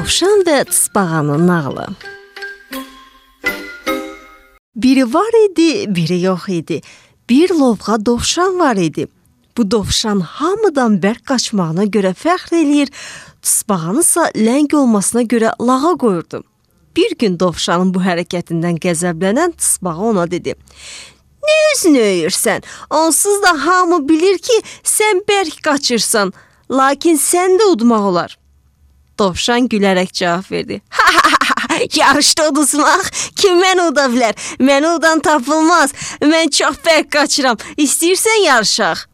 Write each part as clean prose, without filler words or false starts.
Dovşan və tısbağanın nağılı. Biri var idi, biri yox idi. Bir lovğa dovşan var idi. Bu dovşan hamıdan bərk qaçmağına görə fəxr eləyir, tısbağanısa ləng olmasına görə lağa qoyurdu. Bir gün dovşanın bu hərəkətindən qəzəblənən tısbağa ona dedi: "Nə özünü öyürsən? Onsuz da hamı bilir ki, sən bərk qaçırsan, lakin sən də udmaq olar." Dovşan gülərək cavab verdi: "Yarışda uduzmaq kim məni uda bilər? Məni udan tapılmaz. Mən çox bərk qaçıram. İstəyirsən yarışaq?"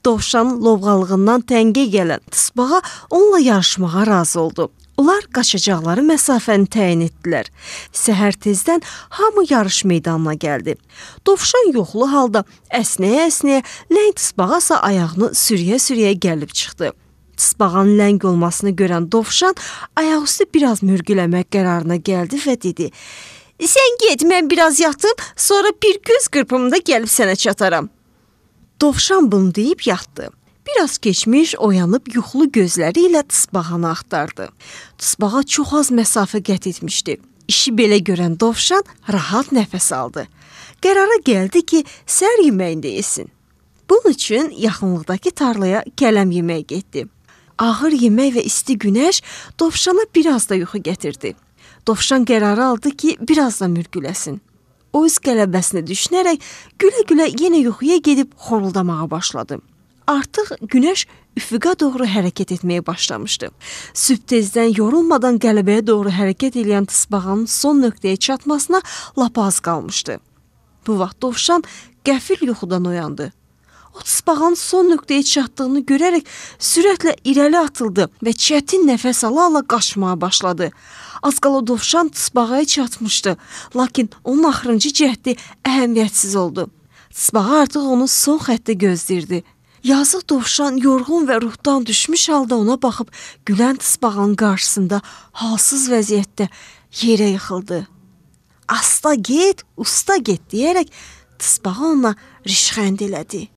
Dovşanın lovğalığından təngə gələn tısbağa onunla yarışmağa razı oldu. Onlar qaçacaqları məsafəni təyin etdilər. Səhər tezdən hamı yarış meydanına gəldi. Dovşan yoxlu halda əsnəyə-əsnəyə, ləng tısbağasa ayağını sürüyə-sürüyə gəlib çıxdı. Tısbağanın ləng olmasını görən dovşan ayaqüstü biraz mürgüləmək qərarına gəldi və dedi: "Sən get, mən biraz yatım, sonra bir göz qırpımında gəlib sənə çataram." Dovşan bunu deyib yatdı. Biraz keçmiş oyanıb yuxulu gözləri ilə tısbağanı axtardı. Tısbağa çox az məsafə qət etmişdi. İşi belə görən dovşan rahat nəfəs aldı. Qərara gəldi ki, səhər yeməyində yesin. Bunun üçün yaxınlıqdakı tarlaya kələm yeməyə getdi. Ağır yemək və isti günəş dovşana biraz da yuxu gətirdi. Dovşan qərarı aldı ki, biraz da mürgüləsin. O öz qələbəsinə düşünərək gülə-gülə yenə yuxuya gedib xoruldamağa başladı. Artıq günəş üfüqa doğru hərəkət etməyə başlamışdı. Sübh tezdən yorulmadan qələbəyə doğru hərəkət edən tısbağanın son nöqtəyə çatmasına lap az qalmışdı. Bu vaxt dovşan qəfil yuxudan oyandı. O tısbağanın son nöqtəyə çatdığını görərək sürətlə irəli atıldı və çətin nəfəs ala-ala qaçmağa başladı. Az qala dovşan tısbağaya çatmışdı, lakin onun axırıncı cəhdi əhəmiyyətsiz oldu. Tısbağa artıq onu son xəttə gözləyirdi. Yazıq dovşan yorğun və ruhdan düşmüş halda ona baxıb gülən tısbağanın qarşısında halsız vəziyyətdə yerə yıxıldı. "Asta get, usta get" deyərək tısbağa ona rişxənd elədi.